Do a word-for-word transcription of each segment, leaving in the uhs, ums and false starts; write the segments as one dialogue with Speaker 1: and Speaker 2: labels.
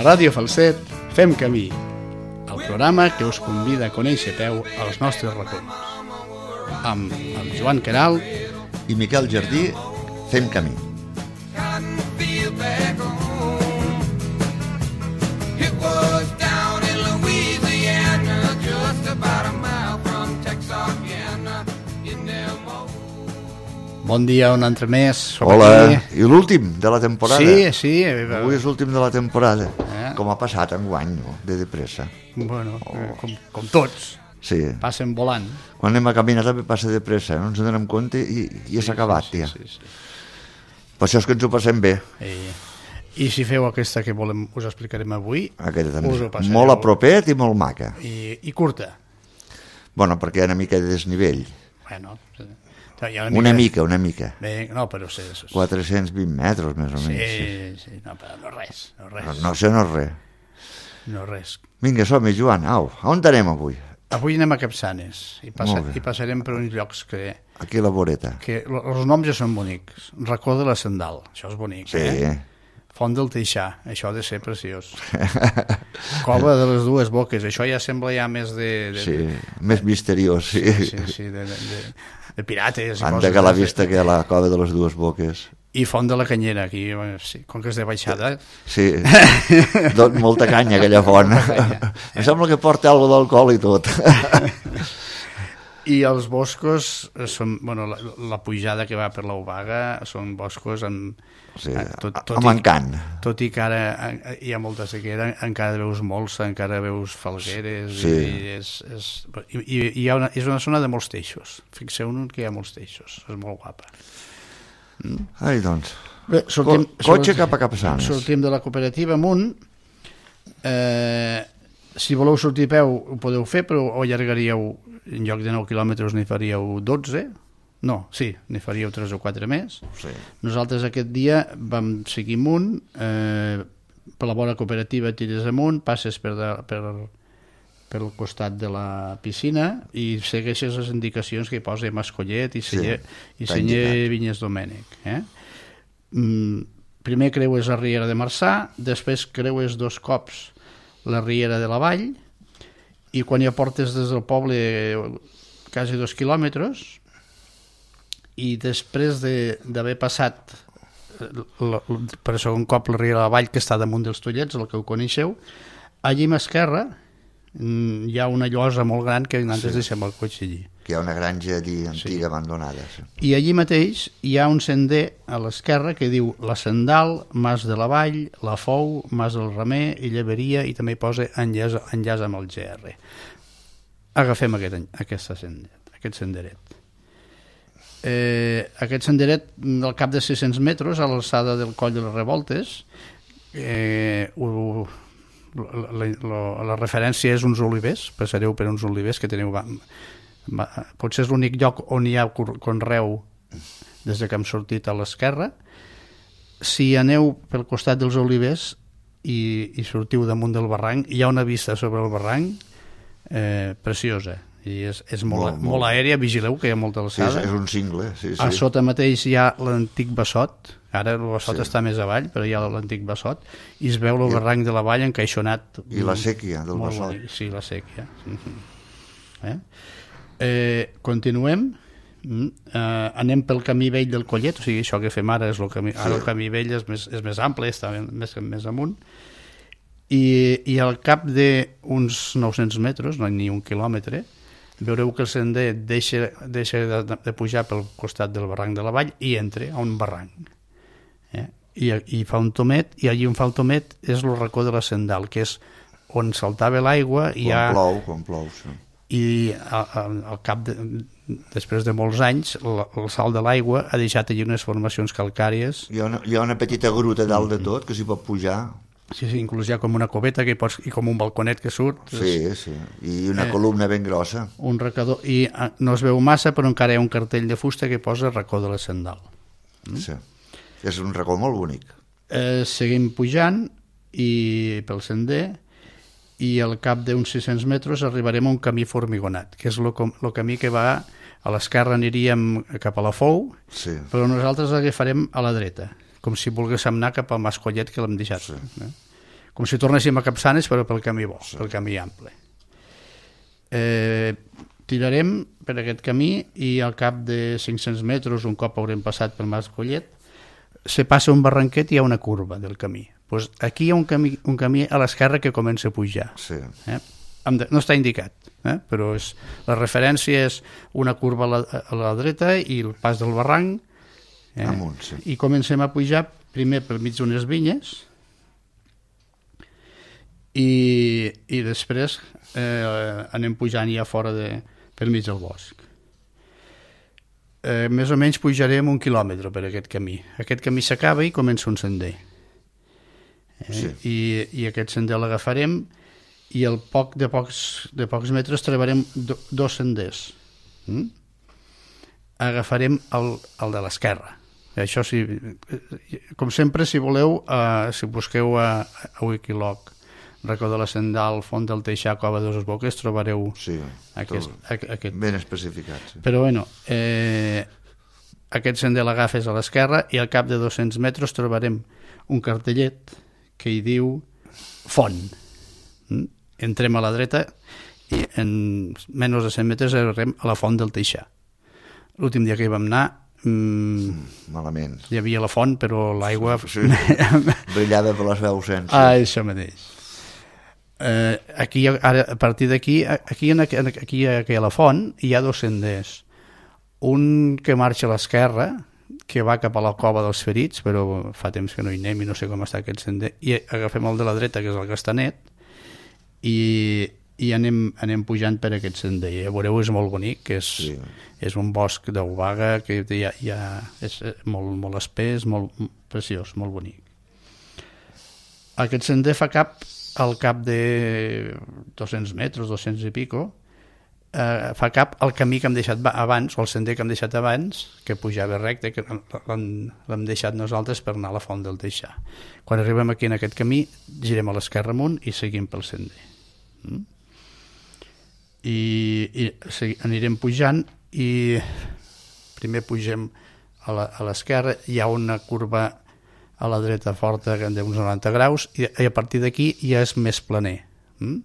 Speaker 1: A Ràdio Falset fem camí, el programa que us convida a conèixer a peu els nostres racons. Amb el Joan Queralt
Speaker 2: i Miquel Jardí fem camí.
Speaker 1: Bon dia, un altre mes.
Speaker 2: Hola, aquí. I l'últim de la temporada.
Speaker 1: Sí, sí.
Speaker 2: Avui és l'últim de la temporada. Eh? Com ha passat enguany, no? De depressa.
Speaker 1: Bueno, oh. com, com tots.
Speaker 2: Sí.
Speaker 1: Passen volant.
Speaker 2: Quan anem a caminar també passa depressa, no ens en donem compte i, i ja s'ha acabat,
Speaker 1: sí,
Speaker 2: ja.
Speaker 1: Sí, sí, sí.
Speaker 2: Per això és que ens ho passem bé.
Speaker 1: I, i si feu aquesta que volem, us explicarem avui,
Speaker 2: aquesta també.
Speaker 1: Us ho passareu.
Speaker 2: Molt apropet i molt maca.
Speaker 1: I, i curta.
Speaker 2: Bueno, perquè hi ha una mica de desnivell.
Speaker 1: Bueno, sí.
Speaker 2: Una mica, una mica. Una mica.
Speaker 1: Bé, no, però sí.
Speaker 2: quatre-cents vint metres, més o menys.
Speaker 1: Sí, sí, no, però no res. No, res.
Speaker 2: no, no això no és res.
Speaker 1: No res.
Speaker 2: Vinga, som-hi, Joan. Au, on anem avui?
Speaker 1: Avui anem a Capçanes i, passa, i passarem per uns llocs que...
Speaker 2: Aquí a la voreta.
Speaker 1: Que els noms ja són bonics. Racó de la Sandal, això és bonic.
Speaker 2: Sí.
Speaker 1: Eh? Font del Teixà, això ha de ser preciós. Cova de les Dues Boques, això ja sembla ja més de... de
Speaker 2: sí,
Speaker 1: de,
Speaker 2: més misteriós, sí.
Speaker 1: Sí, sí, sí de, de, de, de pirates.
Speaker 2: Anda que la vista que a la Cova de les Dues Boques.
Speaker 1: I Font de la Canyera, aquí, sí, com que és de baixada.
Speaker 2: Sí, Don, molta canya aquella font. Canya, eh? Em sembla que porta alguna d'alcohol i tot.
Speaker 1: I els boscos són, bueno, la, la pujada que va per l'Obaga són boscos amb...
Speaker 2: Sí, tot, tot amb encant.
Speaker 1: Tot i que ara hi ha molta sequera, encara veus molsa, encara veus falgueres,
Speaker 2: sí.
Speaker 1: i, és, és, i, i hi ha una, és una zona de molts teixos. Fixeu-vos que hi ha molts teixos, és molt guapa.
Speaker 2: Mm. Ai, doncs,
Speaker 1: bé, sortim,
Speaker 2: Co cotxe cap a Capçanes.
Speaker 1: Sortim de la cooperativa amunt. Eh, si voleu sortir a peu ho podeu fer, però ho allargaríeu, en lloc de nou quilòmetres n'hi faríeu dotze. No, sí, n'hi faríeu tres o quatre més.
Speaker 2: Sí.
Speaker 1: Nosaltres aquest dia vam seguir amunt, eh, per la vora cooperativa tires amunt, passes per, de, per, per el costat de la piscina i segueixes les indicacions que hi posa Mascollet i Celler, sí, i Celler Vinyes Domènec. Eh? Mm, primer creues la Riera de Marçà, després creues dos cops la Riera de la Vall i quan ja portes des del poble quasi dos quilòmetres i després d'haver passat la, la, per segon cop la Riera de la Vall, que està damunt dels Tollets, el que ho coneixeu, allí a l'esquerra hi ha una llosa molt gran que nosaltres sí. deixem el cotxe allí.
Speaker 2: Que hi ha una granja allí antiga, sí. abandonada. Sí.
Speaker 1: I allí mateix hi ha un sender a l'esquerra que diu La Sandal, Mas de la Vall, La Fou, Mas del Remer i Lleberia, i també posa enllaç, enllaç amb el G R. Agafem aquest, aquesta sender, aquest senderet. Eh, aquest senderet al cap de sis-cents metres a l'alçada del Coll de les Revoltes, eh, ho, la, la, la referència és uns olivers, passareu per uns olivers que teniu, va, va, potser és l'únic lloc on hi ha conreu des que hem sortit a l'esquerra. Si aneu pel costat dels olivers i, i sortiu damunt del barranc, hi ha una vista sobre el barranc eh, preciosa i és, és molt, molt, molt aèria. Vigileu que hi ha molta alçada.
Speaker 2: Sí, és un cingle, sí, sí.
Speaker 1: A sota mateix hi ha l'antic Bassot, ara el Bassot sí. està més avall, però hi ha l'antic Bassot i es veu el I, barranc de la Vall encaixonat.
Speaker 2: I la sèquia del Bassot.
Speaker 1: Bonic. Sí, la sèquia. Eh? Eh, continuem. Mm. Eh, anem pel camí vell del Collet, o sigui, això que fem ara és el camí, ara el camí vell és més, és més ample, està més, més amunt. I, i al cap d'uns nou-cents metres, no ni un quilòmetre, veureu que el sender deixa, deixa de, de pujar pel costat del barranc de la Vall i entra a un barranc. Eh? I, I fa un tomet, i allí on fa el tomet és el racó de la Sandal, que és on saltava l'aigua i
Speaker 2: quan
Speaker 1: ha...
Speaker 2: plou, quan plou, sí.
Speaker 1: I al cap de, després de molts anys el, el salt de l'aigua ha deixat allí unes formacions calcàries.
Speaker 2: Hi ha una, hi ha una petita gruta dalt de tot que s'hi pot pujar.
Speaker 1: Sí, sí, inclús hi ha com una coveta que pots, i com un balconet que surt.
Speaker 2: Sí, sí, i una eh, columna ben grossa.
Speaker 1: Un recador, i no es veu massa, però encara hi ha un cartell de fusta que posa Racó de la Sandal.
Speaker 2: Mm? Sí, és un racó molt bonic.
Speaker 1: Eh, seguim pujant i pel sender i al cap d'uns sis-cents metres arribarem a un camí formigonat, que és el camí que va a l'esquerra, aniríem cap a la Fou,
Speaker 2: sí.
Speaker 1: però nosaltres l'agafarem a la dreta, com si volguéssim anar cap al Mascollet que l'hem deixat. Sí. Eh? com si tornéssim a Capçanes, però pel camí bo, sí. pel camí ample. Eh, tirarem per aquest camí i al cap de cinc-cents metres, un cop haurem passat pel Mas Collet, se passa un barranquet i hi ha una curva del camí. Pues aquí hi ha un camí, un camí a l'esquerra que comença a pujar.
Speaker 2: Sí.
Speaker 1: Eh? No està indicat, eh? però és, la referència és una curva a la, a la dreta i el pas del barranc, eh?
Speaker 2: Amunt, sí.
Speaker 1: I comencem a pujar primer per mig d'unes vinyes i, i després eh, anem pujant ja fora de, per mig del bosc. Eh, més o menys pujarem un quilòmetre per aquest camí. Aquest camí s'acaba i comença un sender. Eh?
Speaker 2: Sí.
Speaker 1: I, I aquest sender l'agafarem i al poc de pocs, de pocs metres trobarem do, dos senders. Mm? Agafarem el, el de l'esquerra. Això sí, com sempre, si voleu, eh, si busqueu a, a Wikiloc Racó de la Sendal, Font del Teixà, Cova de les Boques, trobareu
Speaker 2: sí,
Speaker 1: aquest, aquest.
Speaker 2: Ben especificat. Sí.
Speaker 1: Però bueno, eh, aquest sender l'agafes a l'esquerra i al cap de dos-cents metres trobarem un cartellet que hi diu Font. Mm? Entrem a la dreta i en menys de cent metres arribem a la Font del Teixà. L'últim dia que hi vam anar mm,
Speaker 2: malament.
Speaker 1: Hi havia la font, però l'aigua...
Speaker 2: Sí, brillava per la seva ausència.
Speaker 1: Ah, això mateix. Eh, aquí, ara, a partir d'aquí, aquí, aquí, aquí, aquí a la font hi ha dos senders. Un que marxa a l'esquerra, que va cap a la Cova dels Ferits, però fa temps que no hi anem i no sé com està aquest sender, i agafem el de la dreta, que és el Castanet, i, i anem, anem pujant per aquest sender. Ja veureu, és molt bonic, és, sí. és un bosc d'obaga que hi ha, hi ha, és molt, molt espès, molt preciós, molt bonic. Aquest sender fa cap al cap de dos-cents metres, dos-cents i pico, eh, fa cap al camí que hem deixat abans, o el sender que hem deixat abans, que pujava recte, que l'hem deixat nosaltres per anar a la Font del Teixà. Quan arribem aquí en aquest camí, girem a l'esquerra amunt i seguim pel sender. Mm? I, i anirem pujant i primer pugem a l'esquerra, hi ha una curva a la dreta forta d'uns noranta graus i, i a partir d'aquí ja és més planer. Mm?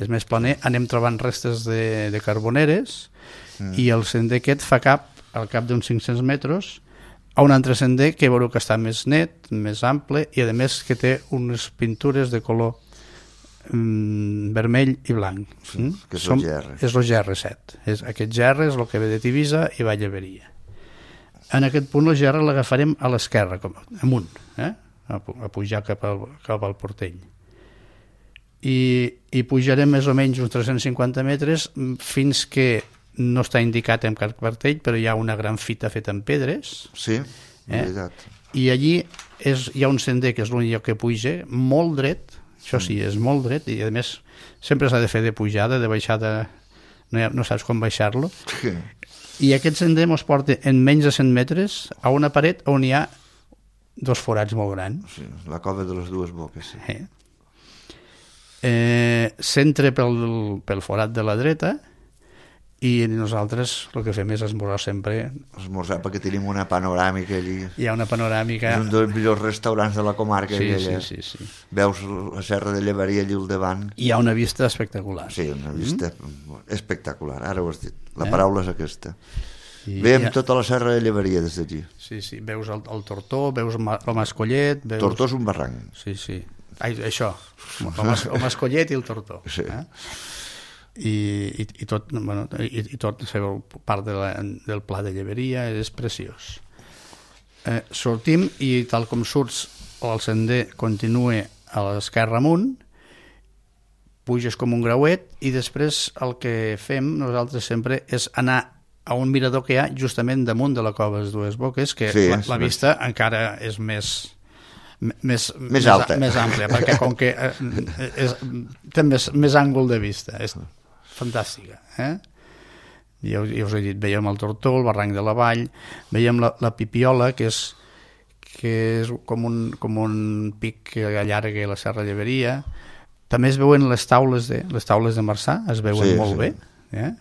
Speaker 1: És més planer, anem trobant restes de, de carboneres mm. i el sender aquest fa cap, al cap d'uns cinc-cents metres, a un altre sender que veureu que està més net, més ample i a més que té unes pintures de color mm, vermell i blanc.
Speaker 2: Sí, mm? que és
Speaker 1: Som,
Speaker 2: el G R.
Speaker 1: És el G R set. És, aquest G R és el que ve de Tivisa i va a Lleberia. En aquest punt el G R l'agafarem a l'esquerra, com, amunt, eh? a, a pujar cap al, cap al Portell. I, i pujarem més o menys uns tres-cents cinquanta metres fins que no està indicat en cap cartell, però hi ha una gran fita feta en pedres.
Speaker 2: Sí,
Speaker 1: eh?
Speaker 2: veritat.
Speaker 1: I allí és, hi ha un sender que és l'únic lloc que puja, molt dret, això sí, és molt dret, i a més sempre s'ha de fer de pujada, de baixada, no, ha, no saps com baixar-lo.
Speaker 2: Sí.
Speaker 1: I aquest sender ens porta en menys de cent metres a una paret on hi ha dos forats molt grans.
Speaker 2: Sí, la Cova de les Dues Boques. Sí.
Speaker 1: Eh? Eh, s'entra pel, pel forat de la dreta i nosaltres el que fem és esmorzar sempre.
Speaker 2: Esmorzar perquè tenim una panoràmica allí.
Speaker 1: Hi ha una panoràmica.
Speaker 2: És un dels millors restaurants de la comarca.
Speaker 1: Sí,
Speaker 2: aquella.
Speaker 1: sí, sí, sí.
Speaker 2: Veus la serra de Lleberia allí al davant.
Speaker 1: Hi ha una vista espectacular.
Speaker 2: Sí, una vista mm. espectacular. Ara ho has dit. La
Speaker 1: eh?
Speaker 2: paraula és aquesta.
Speaker 1: I
Speaker 2: Veiem
Speaker 1: ha...
Speaker 2: tota la serra de Lleberia des d'aquí.
Speaker 1: Sí, sí. Veus el, el Tortó, veus el Mascollet. Veus...
Speaker 2: Tortó és un barranc.
Speaker 1: Sí, sí. Ai, això, el, mas, el Mascollet i el Tortó.
Speaker 2: Sí.
Speaker 1: Eh? I, i, i tot, bueno, i, i tot part de la, del Pla de Lleberia és preciós. Eh, sortim i tal com surts el sender continua a l'esquerra amunt, puges com un grauet i després el que fem nosaltres sempre és anar a un mirador que hi ha justament damunt de la Cova de les Dues Boques, que sí, la, la vista més... encara és més... Més,
Speaker 2: més alta,
Speaker 1: més àmplia, perquè com que eh, és, té més, més àngol de vista, és fantàstica, eh? Ja, ja us he dit, veiem el Tortó, el barranc de la Vall, veiem la, la Pipiola, que és, que és com, un, com un pic que allarga la Serra Lleberia. També es veuen les taules de, les taules de Marçà, es veuen sí, molt sí. bé, eh?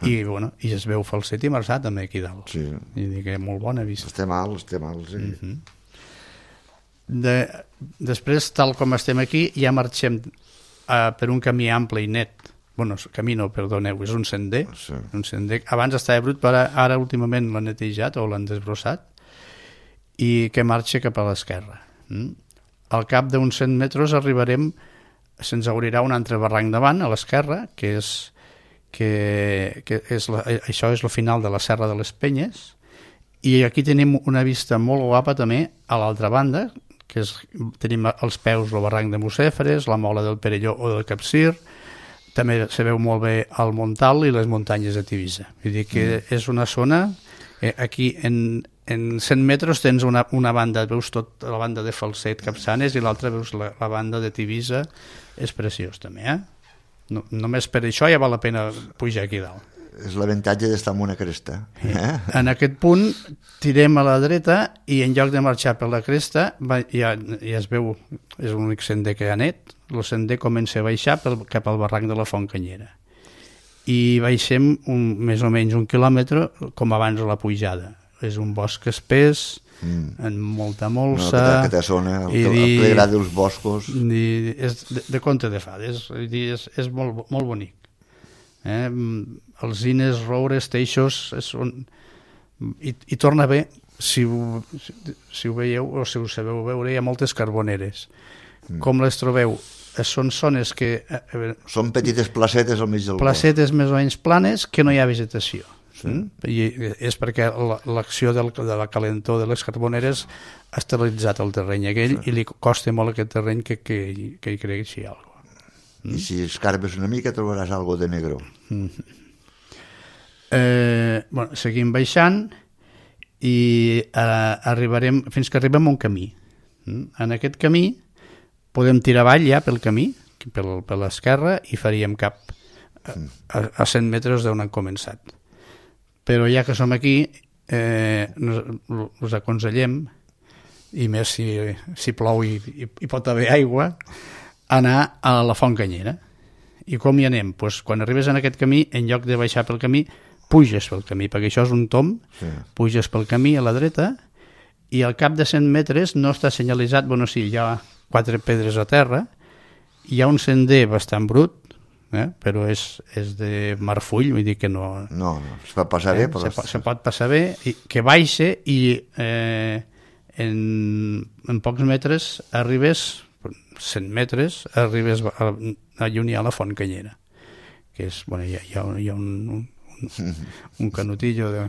Speaker 1: I, bueno, i es veu Falset i Marçà també aquí dalt.
Speaker 2: Sí.
Speaker 1: I dic que molt bona vista.
Speaker 2: Estem alt, estem alt, sí.
Speaker 1: Uh-huh. De, després, tal com estem aquí, ja marxem uh, per un camí ample i net. Bueno, camí no, perdoneu, és un sender. Sí. Un sender. Abans estava brut, però ara últimament l'han netejat o l'han desbrossat i que marxa cap a l'esquerra. Mm? Al cap d'uns cent metres arribarem, se'ns obrirà un altre barranc davant, a l'esquerra, que és, que, que és la, això és el final de la Serra de les Penyes, i aquí tenim una vista molt guapa també a l'altra banda, que és, tenim als peus el barranc de Mucèfres, la mola del Perelló o del Capcir, també se veu molt bé el Montal i les muntanyes de Tivissa. Vull dir que mm. és una zona, eh, aquí en, en cent metres tens una, una banda, veus tot la banda de Falset, Capçanes, i l'altra veus la, la banda de Tivissa, és preciós també, eh? No, només per això ja val la pena pujar aquí dalt.
Speaker 2: És l'avantatge d'estar en una cresta. Eh?
Speaker 1: En aquest punt tirem a la dreta i en lloc de marxar per la cresta va, ja, ja es veu, és l'únic sender que hi ha net, el sender comença a baixar pel, cap al barranc de la Font Canyera i baixem un, més o menys un quilòmetre com abans a la pujada. És un bosc espès, mm. en molta molsa,
Speaker 2: no, aquesta zona, el, el dir, plegrat dels boscos,
Speaker 1: dir, és de, de conte de fades, dir, és, és molt, molt bonic. Eh? Alzines, roures, teixos, són... I, i torna bé, si ho, si ho veieu o si ho sabeu veure, hi ha moltes carboneres. Mm. Com les trobeu? Són zones que... Eh,
Speaker 2: són petites placetes al mig del bosc.
Speaker 1: Placetes més o menys planes que no hi ha vegetació. Sí. Mm? I és perquè l'acció del, de la calentor de les carboneres ha esterilitzat el terreny aquell, sí. I li costa molt aquest terreny que, que, que hi creixi alguna cosa.
Speaker 2: Mm? I si escarbes una mica trobaràs algo de negre.
Speaker 1: Mm. Eh, bueno, seguim baixant i eh, arribarem fins que arribem a un camí. Mm? En aquest camí podem tirar avall ja pel camí, per, per l'esquerra, i faríem cap a, a, a cent metres d'on han començat. Però ja que som aquí, eh, nos, us aconsellem, i més si, si plou i, i, i pot haver aigua, anar a la Font Canyera. I com hi anem? Pues quan arribes en aquest camí, en lloc de baixar pel camí, puges pel camí, perquè això és un tomb, sí. Puges pel camí a la dreta, i al cap de cent metres no està senyalitzat, bueno, sí, hi ha quatre pedres a terra, hi ha un sender bastant brut, eh? Però és, és de marfull, vull dir que no...
Speaker 2: No, no, es pot passar bé.
Speaker 1: Eh? Però... Se, se pot passar bé, i que baixa i eh, en, en pocs metres arribes, cent metres, arribes a, a lluny a la Font Canyera, que és, bueno, hi ha, hi ha, hi ha un, un, un canotillo de...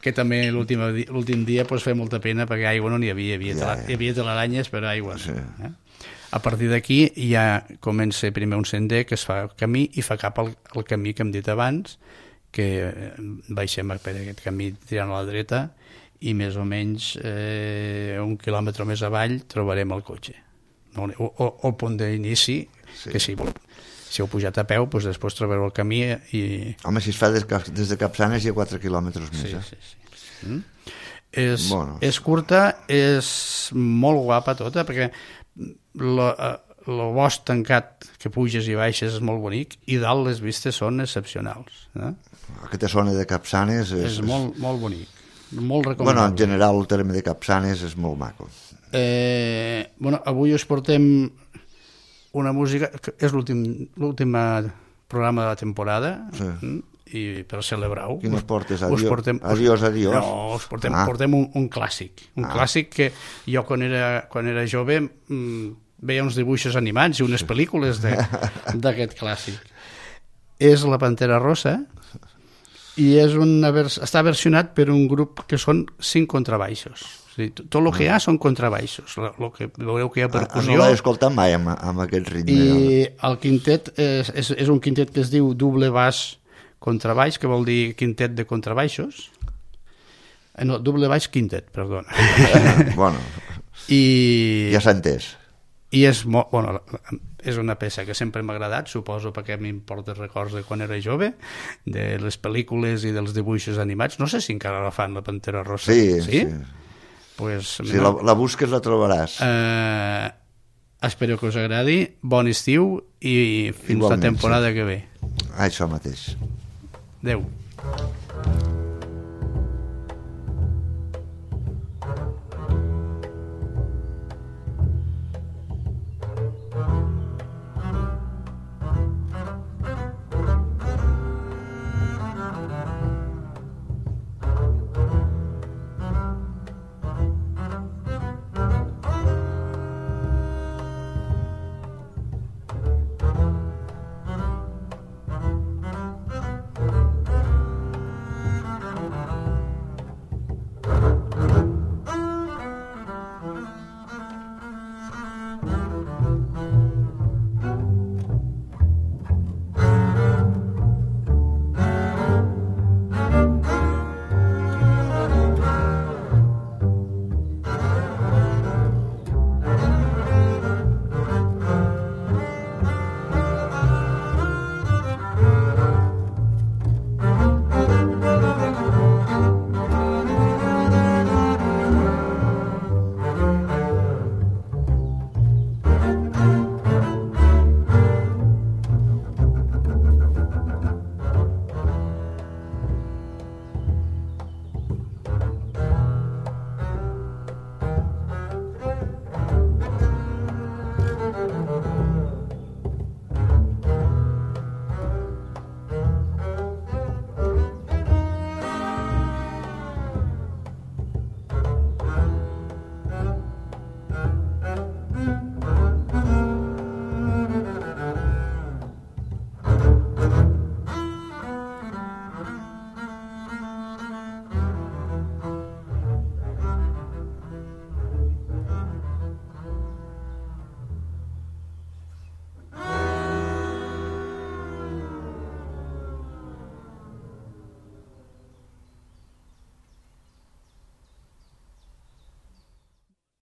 Speaker 1: que també l'últim dia pues, feia molta pena perquè aigua no n'hi havia, hi havia, ja, ja. Hi havia telaranyes però aigua sí. Eh? A partir d'aquí ja comença primer un sender que es fa camí i fa cap al, al camí que hem dit abans, que baixem per aquest camí tirant a la dreta i més o menys eh, un quilòmetre més avall trobarem el cotxe o, o, o el punt d'inici, sí. Que si, si heu pujat a peu doncs després trobareu el camí i...
Speaker 2: Home, si es fa des, des de Capçanes hi ha quatre quilòmetres més,
Speaker 1: sí,
Speaker 2: eh?
Speaker 1: sí, sí. Mm? És,
Speaker 2: bueno.
Speaker 1: És curta, és molt guapa tota perquè el bosc tancat que puges i baixes és molt bonic i dalt les vistes són excepcionals, eh?
Speaker 2: Aquesta zona de Capçanes és,
Speaker 1: és molt, molt bonic, molt recomanable.
Speaker 2: Bueno, en general el terme de Capçanes és molt maco.
Speaker 1: Eh, bueno, avui us portem una música que és l'últim programa de la temporada, sí. I per celebrar-ho.
Speaker 2: Quin us portes? Adiós, us portem, adiós, adiós.
Speaker 1: No, us portem, ah. portem un, un clàssic. Un ah. clàssic que jo quan era, quan era jove mmm, veia uns dibuixos animats i unes sí. Pel·lícules d'aquest clàssic. És La Pantera Rosa i és una vers està versionat per un grup que són cinc contrabaixos. O sigui, tot el que hi ha són contrabaixos. Lo que veureu que hi ha percussió.
Speaker 2: No l'he escoltat mai amb, amb aquest ritme.
Speaker 1: I el quintet és, és, és un quintet que es diu Doble Baix Contrabaix, que vol dir quintet de contrabaixos. No, doble baix quintet, perdona.
Speaker 2: Bueno, I... ja s'ha entès.
Speaker 1: I és, molt, bueno, és una peça que sempre m'ha agradat, suposo perquè m'importa records de quan era jove, de les pel·lícules i dels dibuixos animats. No sé si encara la fan, La Pantera Rosa.
Speaker 2: Sí, sí. sí.
Speaker 1: Pues,
Speaker 2: si la, la busques la trobaràs.
Speaker 1: Eh, espero que us agradi. Bon estiu i fins Igualment, la temporada sí. que ve.
Speaker 2: Això mateix.
Speaker 1: Adéu.